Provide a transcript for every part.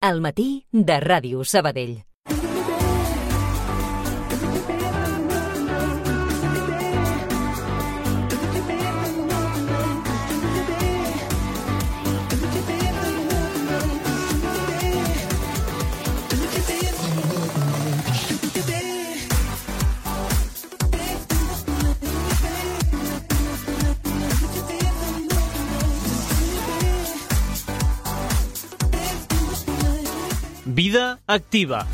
Al matí de Ràdio Sabadell. Vida activa.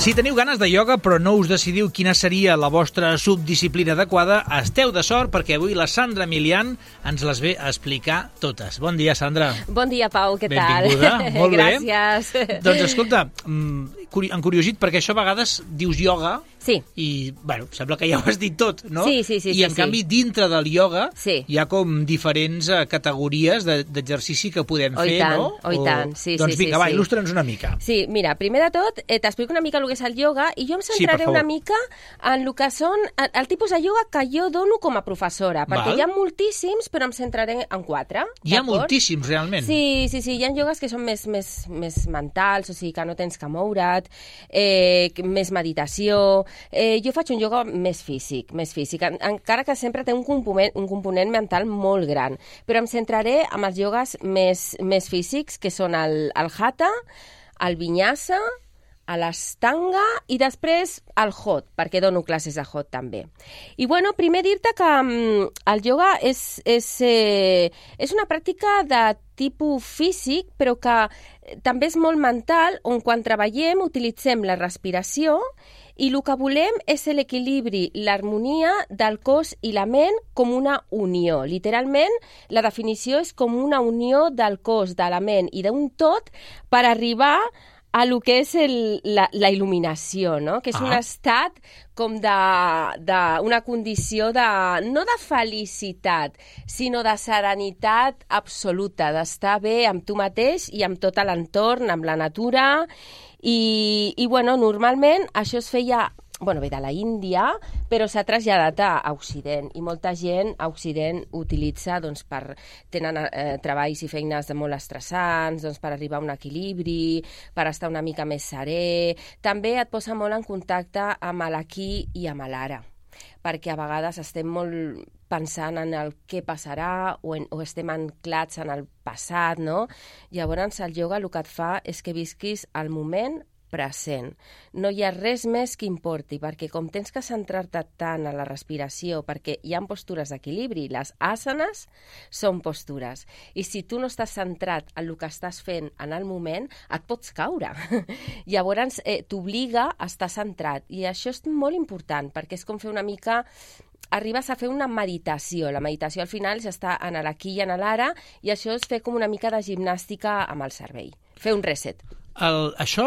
Si teniu ganes de ioga però no us decidiu quina seria la vostra subdisciplina adequada, esteu de sort perquè avui la Sandra Milian ens les ve a explicar totes. Bon dia, Sandra. Bon dia, Pau, què tal? Benvinguda, molt bé. Gràcies. Doncs escolta, encuriosit perquè això a vegades dius ioga. Sí. I, bueno, sembla que ja ho has dit tot, no? Sí. I, en canvi, dintre del ioga hi ha com diferents categories d'exercici que podem fer, no? I tant, sí. Doncs vinga, va, il·lustra'ns una mica. Sí, mira, primer de tot, t'explico una mica el que és el ioga i jo em centraré una mica en el que són el tipus de ioga que jo dono com a professora, perquè hi ha moltíssims, però em centraré en 4. Hi ha moltíssims, realment? Sí, hi ha iogues que són més mentals, o sigui, que no tens que moure't, més meditació. Jo faig un ioga més físic, encara que sempre té un component mental molt gran, però em centraré en els iogues més físics, que són el hatha, el vinyasa, l'astanga i després el hot, perquè dono classes de hot també. I bueno, primer dir-te que el ioga és una pràctica de tipus físic, però que també és molt mental, on quan treballem utilitzem la respiració i el que volem és l'equilibri, l'harmonia del cos i la ment com una unió. Literalment, la definició és com una unió del cos, de la ment i d'un tot per arribar a lo que és la il·luminació, no? Que és un estat com d'una condició no de felicitat, sinó de serenitat absoluta, d'estar bé amb tu mateix i amb tot l'entorn, amb la natura. I bueno, normalment això es feia ve de la Índia, però s'ha traslladat a Occident, i molta gent a Occident utilitza tenen treballs i feines molt estressants, per arribar a un equilibri, per estar una mica més serè. També et posa molt en contacte amb l'aquí i amb l'ara, perquè a vegades estem molt pensant en el què passarà o estem anclats en el passat, no? Llavors el ioga el que et fa és que visquis el moment present. No hi ha res més que importi, perquè com tens que centrar-te tant en la respiració, perquè hi ha postures d'equilibri, les asanes són postures, i si tu no estàs centrat en el que estàs fent en el moment, et pots caure. Llavors t'obliga a estar centrat, i això és molt important, perquè és com fer una mica... Arribes a fer una meditació. La meditació al final és estar en l'aquí i en l'ara, i això és fer com una mica de gimnàstica amb el cervell. Fer un reset. Això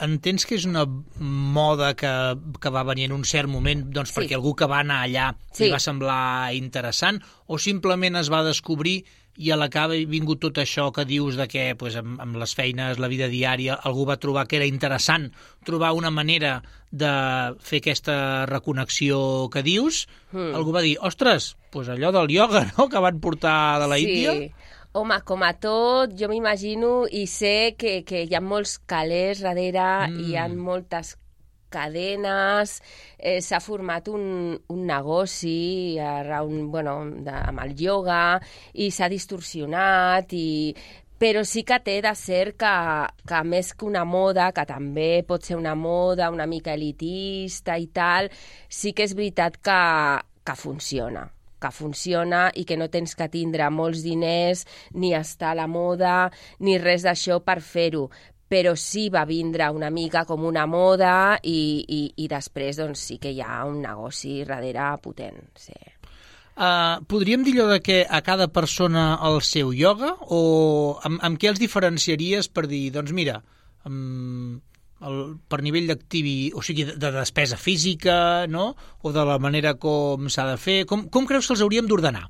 entens que és una moda que va venir en un cert moment perquè algú que va anar allà li va semblar interessant, o simplement es va descobrir i a la que ha vingut tot això que dius de que amb les feines, la vida diària, algú va trobar que era interessant trobar una manera de fer aquesta reconnexió que dius, algú va dir, ostres, allò del ioga, no?, que van portar de la Índia. Home, com a tot, jo m'imagino i sé que hi ha molts calés darrere, hi ha moltes cadenes, s'ha format un negoci amb el ioga i s'ha distorsionat, però sí que té de ser que més que una moda, que també pot ser una moda una mica elitista i tal, sí que és veritat que funciona i que no tens que tindre molts diners, ni estar a la moda, ni res d'això per fer-ho. Però sí va vindre una mica com una moda i després sí que hi ha un negoci darrere potent. Sí. Podríem dir allò de que a cada persona el seu ioga, o amb què els diferenciaries per dir, doncs mira, per nivell o sigui, de despesa física, no?, o de la manera com s'ha de fer, com creus que els hauríem d'ordenar?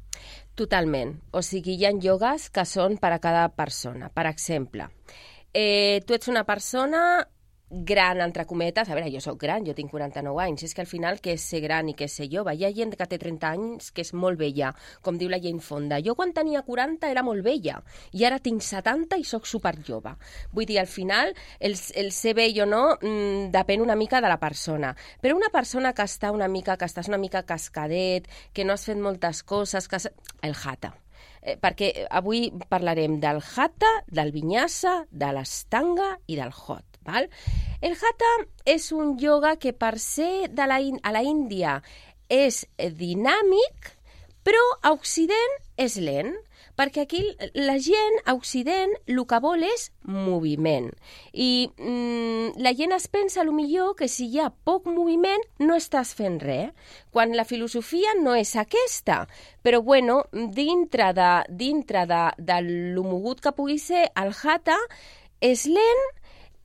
Totalment. O sigui, hi ha iogues que són per a cada persona. Per exemple, tu ets una persona gran, entre cometes, a veure, jo sóc gran, jo tinc 49 anys, és que al final què és ser gran i què és ser jove? Hi ha gent que té 30 anys que és molt vella, com diu la Jane Fonda. Jo quan tenia 40 era molt vella, i ara tinc 70 i sóc superjove. Vull dir, al final, el ser vell o no depèn una mica de la persona. Però una persona que estàs una mica cascadet, que no has fet moltes coses, el Hatha. Perquè avui parlarem del Hatha, del Vinyasa, de l'Ashtanga i del Hot. Val? El Hatha és un ioga que per ser a la Índia és dinàmic, però a Occident és lent, perquè aquí la gent a Occident el que vol és moviment. I la gent es pensa millor que si hi ha poc moviment no estàs fent res, quan la filosofia no és aquesta. Però bueno, dintre de lo mogut que pugui ser, el Hatha és lent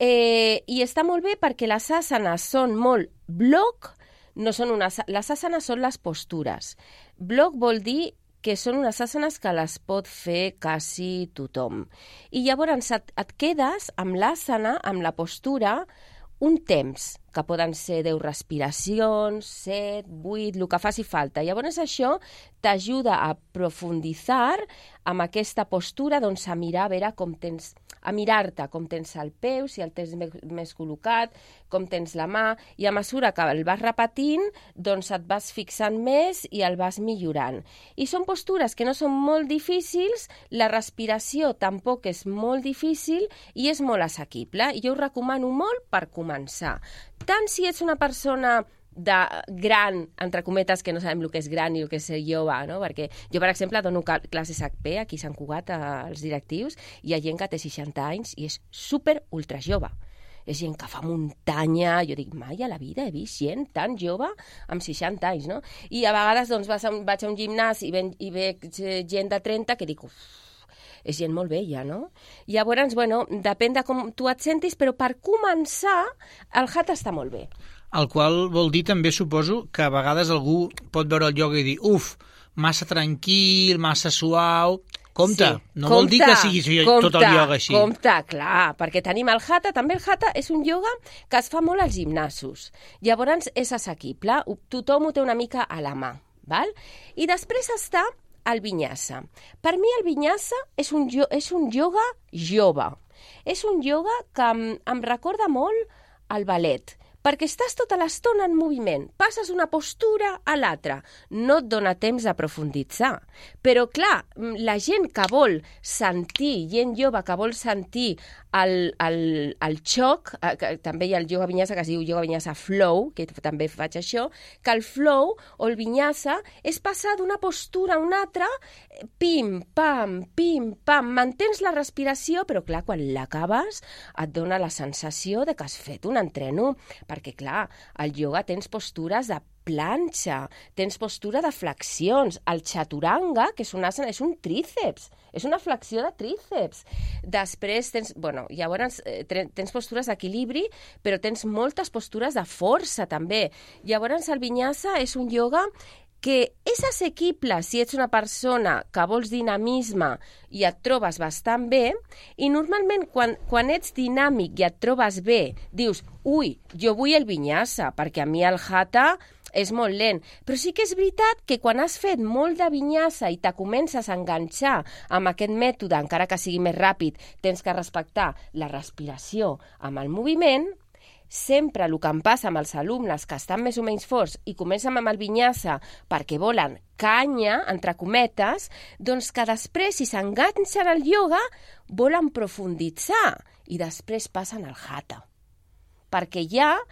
i està molt bé perquè les asanes són molt bloc, les asanes són les postures. Bloc vol dir que són unes asanes que les pot fer quasi tothom. I llavors et quedes amb l'asana, amb la postura, un temps, que poden ser 10 respiracions, 7, 8, el que faci falta. Llavors això t'ajuda a profunditzar amb aquesta postura, doncs a mirar, a veure com tens, a mirar-te com tens el peu, si el tens més col·locat, com tens la mà, i a mesura que el vas repetint, doncs et vas fixant més i el vas millorant. I són postures que no són molt difícils, la respiració tampoc és molt difícil i és molt assequible. I jo ho recomano molt per començar. Tant si ets una persona de gran, entre cometes, que no sabem el que és gran i el que és ser jove, no? Perquè jo, per exemple, dono classes HP aquí a Sant Cugat, als directius, i hi ha gent que té 60 anys i és super ultra jove. És gent que fa muntanya, jo dic, mai a la vida he vist gent tan jove amb 60 anys, no? I a vegades doncs, vaig a un gimnàs i veig gent de 30 que dic, és gent molt vella, no? Llavors, bueno, depèn de com tu et sentis, però per començar, el Hatha està molt bé. El qual vol dir també, suposo, que a vegades algú pot veure el ioga i dir, massa tranquil, massa suau. Compte, sí, no vol dir que sigui tot el ioga així. Compte, clar, perquè tenim el Hatha, també el Hatha és un ioga que es fa molt als gimnasos. Llavors és assequible, tothom ho té una mica a la mà, val? I després està el Vinyasa. Per mi el Vinyasa és un ioga jove. És un ioga que em recorda molt al ballet, perquè estàs tota l'estona en moviment, passes una postura a l'altra, no et dona temps de profunditzar. Però, clar, la gent que vol sentir, gent jove que vol sentir el xoc, també hi ha el ioga vinyasa que es diu ioga vinyasa flow, que també faig això, que el flow o el vinyasa és passar d'una postura a una altra, pim, pam, mantens la respiració, però clar, quan l'acabes et dona la sensació de que has fet un entreno, perquè clar, al ioga tens postures de planxa, tens postura de flexions, el chaturanga, que és un asana, és un tríceps, és una flexió de tríceps. Després llavors tens postures d'equilibri, però tens moltes postures de força també. Llavors el vinyasa és un ioga que és assequible si ets una persona que vols dinamisme i et trobes bastant bé, i normalment quan ets dinàmic i et trobes bé, dius, jo vull el vinyasa, perquè a mi el Hatha és molt lent. Però sí que és veritat que quan has fet molt de vinyasa i te comences a enganxar amb aquest mètode, encara que sigui més ràpid, tens que respectar la respiració amb el moviment. Sempre el que em passa amb els alumnes que estan més o menys forts i comencen amb el vinyasa perquè volen canya, entre cometes, doncs que després, si s'enganxen al ioga, volen profunditzar i després passen al Hatha. Perquè ja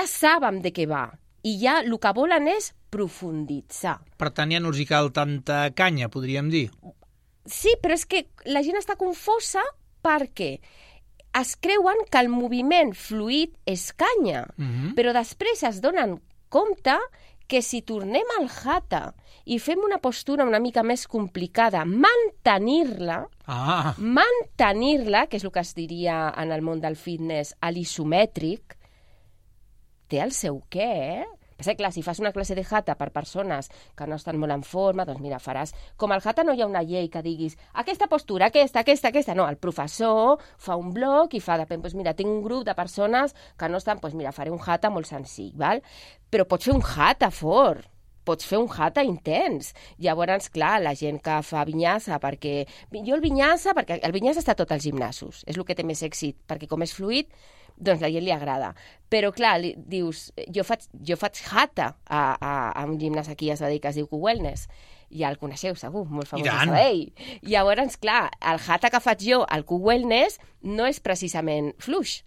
saben de què va i ja el que volen és profunditzar. Per tant, ja no els hi cal tanta canya, podríem dir. Sí, però és que la gent està confosa perquè es creuen que el moviment fluid és canya, però després es donen compte que si tornem al Hatha i fem una postura una mica més complicada, mantenir-la, que és el que es diria en el món del fitness, a l'isomètric, té el seu què, Però, clar, si fas una classe de Hatha per persones que no estan molt en forma, doncs mira, faràs... Com al Hatha no hi ha una llei que diguis aquesta postura, aquesta... No, el professor fa un bloc i fa, depèn, doncs mira, tinc un grup de persones que no estan... Doncs mira, faré un Hatha molt senzill, val? Però pots fer un Hatha fort, pots fer un Hatha intens. Llavors, clar, la gent que fa vinyasa, perquè... Jo el vinyasa està a tots els gimnasos, és el que té més èxit, perquè com és fluid, doncs la gent li agrada. Però, clar, dius, jo faig Hatha a un gimnàs aquí a Sabadell que es diu Q-Wellness. Ja el coneixeu, segur, molt famós a Sabadell. Llavors, clar, el Hatha que faig jo al Q-Wellness no és precisament fluix.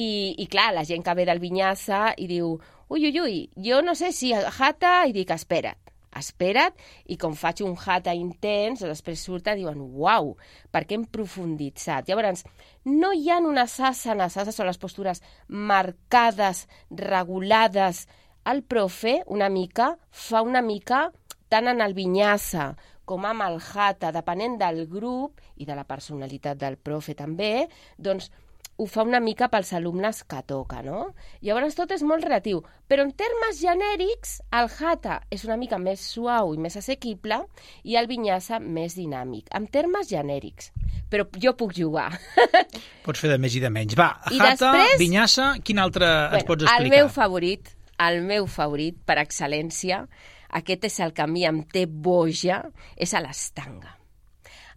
I clar, la gent que ve del vinyasa i diu, ui, jo no sé si Hatha, i dic, espera't, i com faig un Hatha intens, després surten i diuen, uau, perquè hem profunditzat. Llavors, no hi ha unes asanes són les postures marcades, regulades. El profe, fa una mica, tant en el vinyasa com amb el Hatha, depenent del grup i de la personalitat del profe també, doncs ho fa una mica pels alumnes que toca, no? Llavors tot és molt relatiu, però en termes genèrics el Hatha és una mica més suau i més assequible i el vinyasa més dinàmic, en termes genèrics. Però jo puc jugar. Pots fer de més i de menys. Va, Hatha, vinyasa, quin altre ens pots explicar? El meu favorit per excel·lència, aquest és el que a mi em té boja, és l'Ashtanga.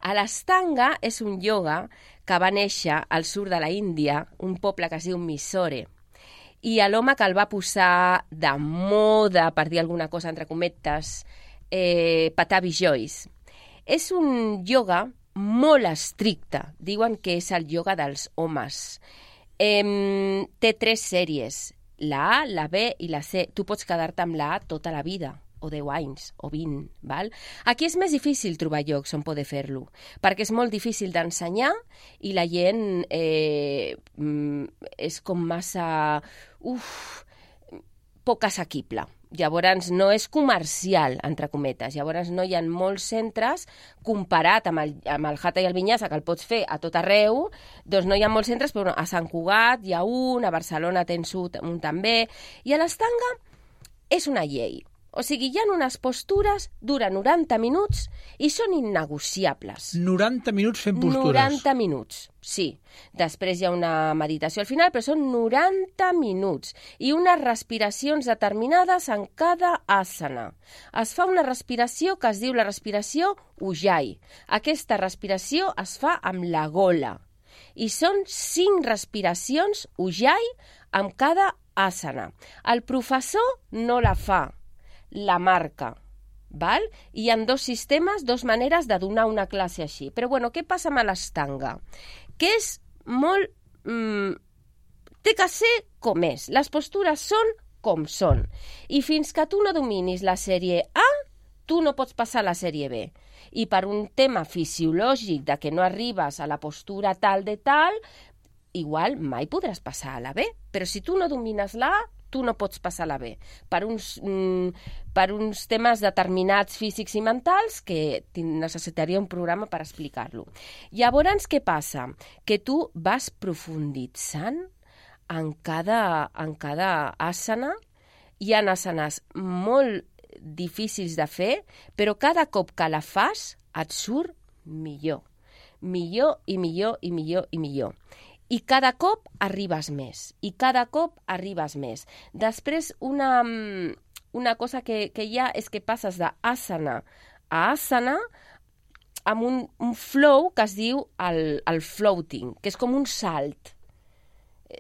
L'Ashtanga és un ioga que va néixer al sud de la Índia, un poble que es diu Mysore, i l'home que el va posar de moda, per dir alguna cosa entre cometes, Patabi Jois. És un ioga molt estricte, diuen que és el ioga dels homes. Té 3 sèries, la A, la B i la C. Tu pots quedar-te amb la A tota la vida, o 10 anys, o 20, val? Aquí és més difícil trobar llocs on poder fer-lo, perquè és molt difícil d'ensenyar i la gent és com massa... poc assequible. Llavors no és comercial, entre cometes. Llavors no hi ha molts centres, comparat amb el Hatha i el vinyasa, que el pots fer a tot arreu, doncs no hi ha molts centres, però a Sant Cugat hi ha un, a Barcelona tens un també, i l'Ashtanga és una llei. O sigui, hi ha unes postures, dura 90 minuts i són innegociables. 90 minuts fent postures? 90 minuts, sí. Després hi ha una meditació al final, però són 90 minuts i unes respiracions determinades en cada asana. Es fa una respiració que es diu la respiració Ujjayi. Aquesta respiració es fa amb la gola i són 5 respiracions Ujjayi amb cada asana. El professor no la fa, la marca, val? Hi ha 2 sistemes, 2 maneres de donar una classe així. Però, bueno, què passa amb l'Ashtanga? Que és molt... té que ser com és. Les postures són com són. I fins que tu no dominis la sèrie A, tu no pots passar a la sèrie B. I per un tema fisiològic de que no arribes a la postura tal de tal, igual mai podràs passar a la B. Però si tu no domines la A, tu no pots passar a la B, per uns temes determinats físics i mentals que necessitaria un programa per explicar-lo. Llavors, què passa? Que tu vas profunditzant en cada asana. Hi ha asanes molt difícils de fer, però cada cop que la fas et surt millor. Millor i millor i millor i millor. I cada cop arribes més, Després, una cosa que hi ha és que passes d'asana a asana amb un flow que es diu el floating, que és com un salt.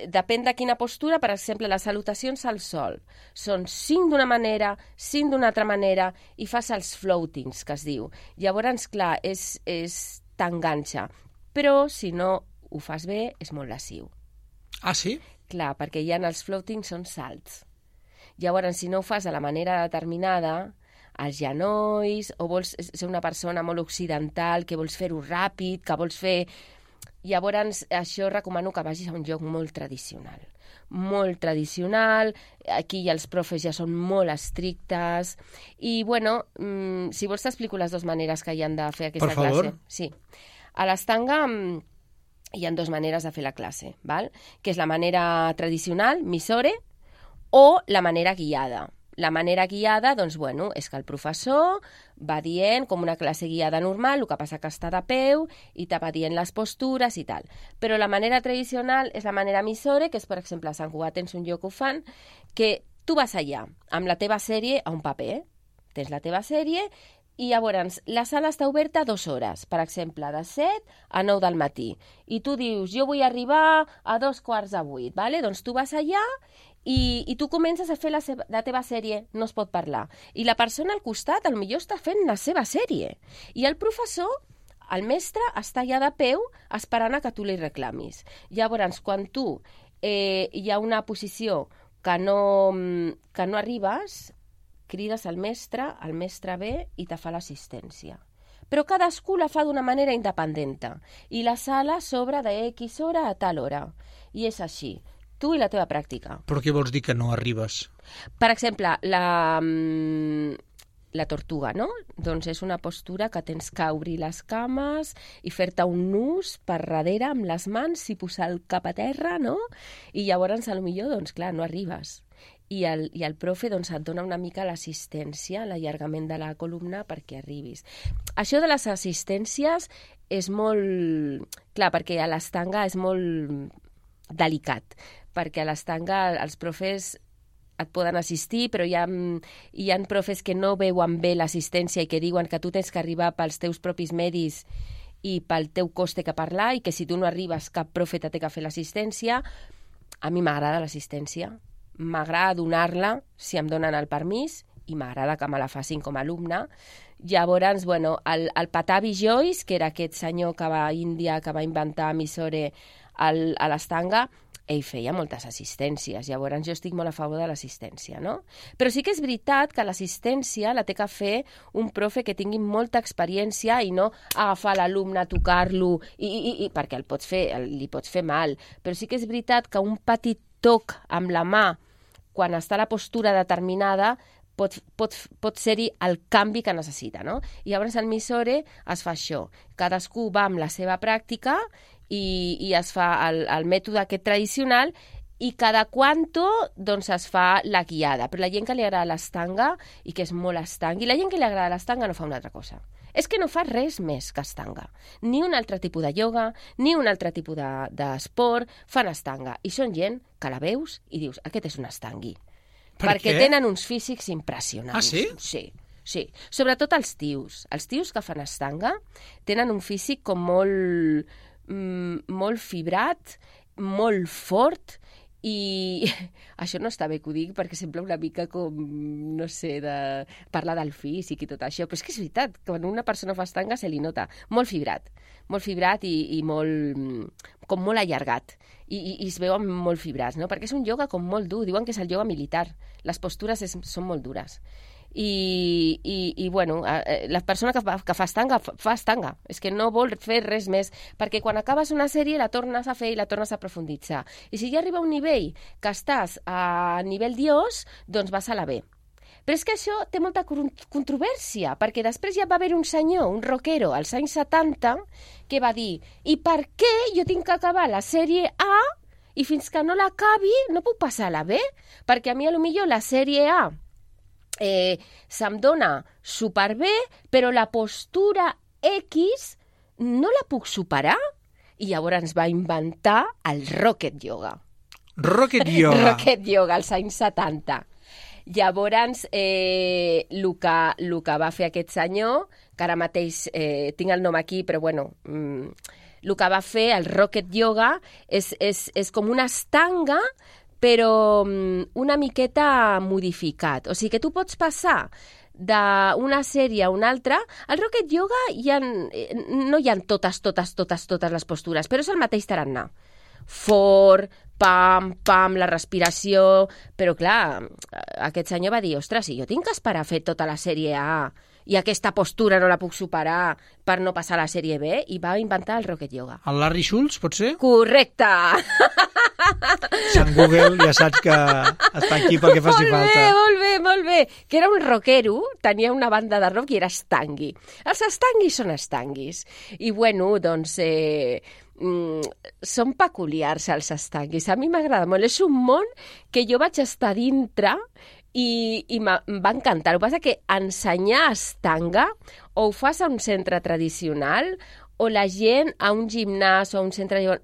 Depèn de quina postura, per exemple, les salutacions al sol. Són 5 d'una manera, 5 d'una altra manera, i fas els floatings, que es diu. Llavors, clar, t'enganxa. Però, si no ho fas bé, és molt lesiu. Ah, sí? Clar, perquè hi ha els floatings, són salts. Llavors, si no ho fas de la manera determinada, els genolls, o vols ser una persona molt occidental, que vols fer-ho ràpid, que vols fer... Llavors, això recomano que vagis a un lloc molt tradicional. Molt tradicional, aquí els profes ja són molt estrictes, i, bueno, si vols t'explico les 2 maneres que hi han de fer aquesta classe. Per favor. Sí. A l'Ashtanga hi ha 2 maneres de fer la classe, val? Que és la manera tradicional, Mysore, o la manera guiada. La manera guiada, doncs, bueno, és que el professor va dient, com una classe guiada normal, el que passa que està de peu i te va dient les postures i tal. Però la manera tradicional és la manera Missore, que és, per exemple, a Sant Cugat tens un lloc que ho fan, que tu vas allà amb la teva sèrie a un paper, tens la teva sèrie i llavors la sala està oberta 2 hores, per exemple, de 7 a 9 del matí. I tu dius, jo vull arribar a 7:45, ¿vale? Doncs tu vas allà i tu comences a fer la teva sèrie, no es pot parlar. I la persona al costat, potser està fent la seva sèrie. I el professor, el mestre, està allà de peu esperant a que tu li reclamis. Llavors, quan tu hi ha una posició que no arribes, crides al mestre ve i te fa l'assistència. Però cadascú la fa d'una manera independent. I la sala s'obre de X hora a tal hora. I és així. Tu i la teva pràctica. Però què vols dir que no arribes? Per exemple, la tortuga, no? Doncs és una postura que tens que obrir les cames i fer-te un nus per darrere amb les mans i posar el cap a terra, no? I llavors, potser, doncs clar, no arribes. I el profe doncs, et dona una mica l'assistència, l'allargament de la columna perquè arribis. Això de les assistències és molt... Clar, perquè a l'estanga és molt delicat, perquè a l'estanga els profes et poden assistir, però hi ha profes que no veuen bé l'assistència i que diuen que tu tens que arribar pels teus propis medis i pel teu cost té que parlar i que si tu no arribes cap profe té que fer l'assistència. A mi m'agrada l'assistència, m'agrada donar-la si em donen el permís i m'agrada que me la facin com a alumne. Llavors, bueno, el Patabi Joyce, que era aquest senyor que va a Índia, que va inventar Missore a l'estanga, ell feia moltes assistències, llavors jo estic molt a favor de l'assistència, no? Però sí que és veritat que l'assistència la té que fer un profe que tingui molta experiència i no agafar l'alumne, tocar-lo, perquè li pots fer mal. Però sí que és veritat que un petit toc amb la mà, quan està a la postura determinada, pot ser-hi el canvi que necessita, no? I llavors al Missore es fa això. Cadascú va amb la seva pràctica i es fa el mètode aquest tradicional i cada quanto doncs es fa la guiada. Però la gent que li agrada l'estanga i que és molt estanga, i la gent que li agrada l'estanga no fa una altra cosa. És que no fa res més que estanga. Ni un altre tipus de ioga, ni un altre tipus d'esport, fan estanga. I són gent que la veus i dius, aquest és un estangui. Perquè tenen uns físics impressionants. Ah, sí? Sí. Sobretot els tios. Els tios que fan estanga tenen un físic com molt fibrat, molt fort, i això no està bé que ho dic perquè sembla una mica com, no sé, de parlar del físic i tot això, però és que és veritat, quan una persona fa estanga se li nota molt fibrat i com molt allargat i es veuen molt fibrats, no? Perquè és un ioga com molt dur, diuen que és el ioga militar, les postures són molt dures. I bueno, la persona que fa estanga, és que no vol fer res més, perquè quan acabes una sèrie la tornes a fer i la tornes a profunditzar. I si ja arriba a un nivell que estàs a nivell dios, doncs vas a la B. Però és que això té molta controvèrsia, perquè després ja va haver un senyor, un rockero, als anys 70, que va dir, i per què jo tinc que acabar la sèrie A i fins que no l'acabi no puc passar a la B? Perquè a mi potser la sèrie A se'm dona superbé, però la postura X no la puc superar. I llavors va inventar el Rocket Yoga. Rocket Yoga. Rocket Yoga, als anys 70. Llavors, el que va fer aquest senyor, que ara mateix tinc el nom aquí, però bueno, el que va fer, el Rocket Yoga, és com una estanga, però una miqueta modificat. O sigui que tu pots passar d'una sèrie a una altra. Al Rocket Yoga no hi ha totes les postures, però és el mateix tarannà. Fort, pam, la respiració... Però clar, aquest senyor va dir, ostres, si jo tinc que esperar a fer tota la sèrie A i aquesta postura no la puc superar per no passar a la sèrie B, i va inventar el Rocket Yoga. El Larry Schultz, pot ser? Correcte! Sant Google ja saps que està aquí perquè faci falta. Molt bé. Que era un rockero, tenia una banda de rock i era estangui. Els estanguis són estanguis. I bueno, doncs... són peculiars els estanguis. A mi m'agrada molt. És un món que jo vaig estar dintre i em va encantar. El que passa que ensenyar estanga o ho fas a un centre tradicional o la gent a un gimnàs o a un centre de ioga...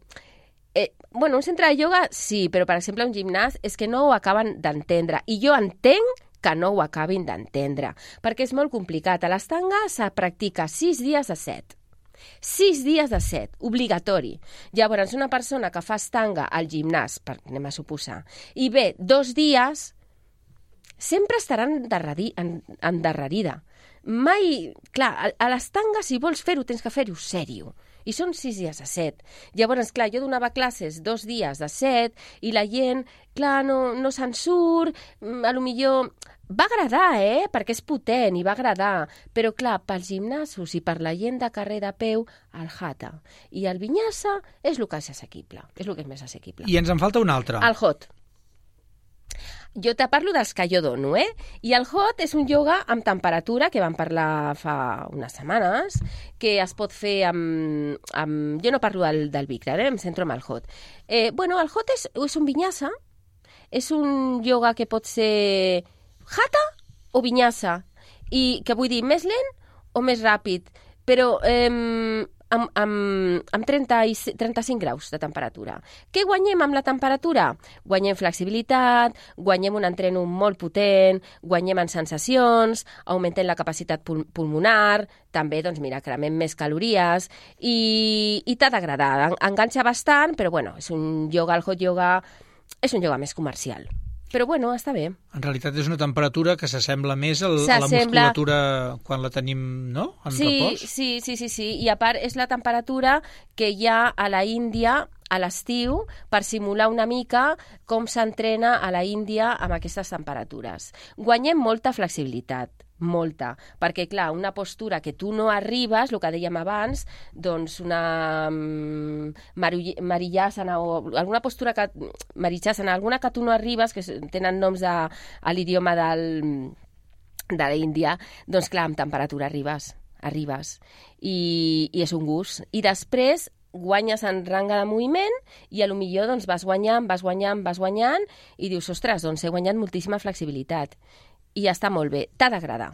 un centre de ioga sí, però per exemple un gimnàs és que no ho acaben d'entendre. I jo entenc que no ho acabin d'entendre, perquè és molt complicat. A l'estanga se practica 6 dies de 7. 6 dies de 7, obligatori. Llavors, una persona que fa estanga al gimnàs, anem a suposar, i ve 2 dies, sempre estarà endarrerida. Mai... Clar, a l'estanga, si vols fer-ho, tens que fer-ho sèrio. I són 6 dies de 7. Llavors, clar, jo donava classes 2 dies de 7 i la gent, clar, no se'n surt, a lo millor... Va agradar, perquè és potent i va agradar, però clar, pels gimnasos i per la gent de carrer de peu, el Hatha i el Vinyasa és el que és assequible, és el que és més assequible. I ens en falta un altre. El Hot. Jo te parlo dels que jo dono, I el Hot és un ioga amb temperatura, que vam parlar fa unes setmanes, que es pot fer amb... Jo no parlo del Bikram, em centro en el Hot. El Hot és un Vinyasa, és un ioga que pot ser Hatha o Vinyasa, i que vull dir més lent o més ràpid, però amb 35 graus de temperatura. Què guanyem amb la temperatura? Guanyem flexibilitat, guanyem un entreno molt potent, guanyem en sensacions, augmentem la capacitat pulmonar, també, doncs mira, cremem més calories i t'ha d'agradar. Enganxa bastant, però és un ioga, el hot yoga, és un ioga més comercial. Però està bé. En realitat és una temperatura que s'assembla més a la musculatura quan la tenim, no?, en repòs. Sí. I a part és la temperatura que hi ha a la Índia a l'estiu per simular una mica com s'entrena a la Índia amb aquestes temperatures. Guanyem molta flexibilitat, molta, perquè clar, una postura que tu no arribes, el que dèiem abans, doncs una Mariyasana o alguna postura que Marichyasana, alguna que tu no arribes, que tenen noms a l'idioma de l'Índia, doncs clar, amb temperatura arribes. I és un gust. I després guanyes en ranga de moviment i potser doncs, vas guanyant i dius, ostres, doncs he guanyat moltíssima flexibilitat. I està molt bé. T'ha d'agradar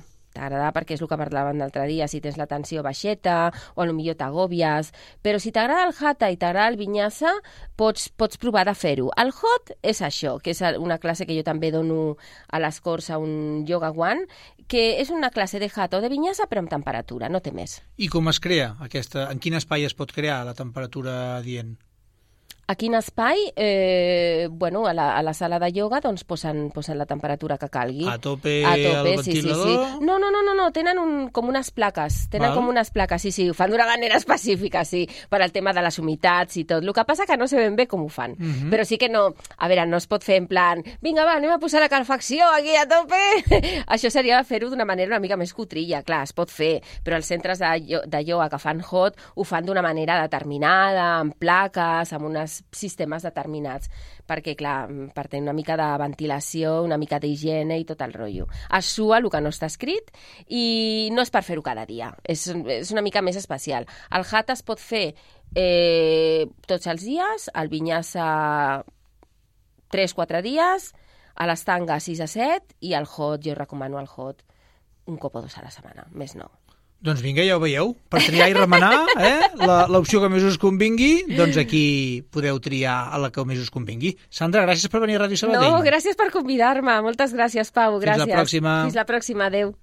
perquè és el que parlàvem l'altre dia, si tens la tensió baixeta o potser t'agòbies, però si t'agrada el Hatha i t'agrada el Vinyasa, pots provar de fer-ho. El Hot és això, que és una classe que jo també dono a les Corts a un Yoga One, que és una classe de Hatha o de Vinyasa però amb temperatura, no té més. I com es crea aquesta? En quin espai es pot crear la temperatura adient? A quin espai? A la sala de ioga doncs posen la temperatura que calgui. A tope al ventilador? Sí. No, tenen com unes plaques. Sí, ho fan d'una manera específica, sí, per al tema de les humitats i tot. El que passa que no sé ben bé com ho fan. Però sí que no, a veure, no es pot fer en plan, vinga, va, anem a posar la calefacció aquí a tope. Això seria fer-ho d'una manera una mica més cutrilla, clar, es pot fer, però els centres de ioga que fan hot ho fan d'una manera determinada, amb plaques, amb unes sistemes determinats, perquè, clar, per tenir una mica de ventilació, una mica d'higiene i tot el rotllo. Es sua el que no està escrit i no és per fer-ho cada dia, és una mica més especial. El Hatha es pot fer tots els dies, el Vinyasa 3-4 dies, a l'estanga 6 a 7 i el Hot, jo recomano el Hot un cop o 2 a la setmana, més no. Doncs vinga, ja ho veieu, per triar i remenar, l'opció que més us convingui, doncs aquí podeu triar a la que més us convingui. Sandra, gràcies per venir a Ràdio Sabadell. No, gràcies per convidar-me, moltes gràcies, Pau, gràcies. Fins la pròxima. Fins la pròxima, adeu.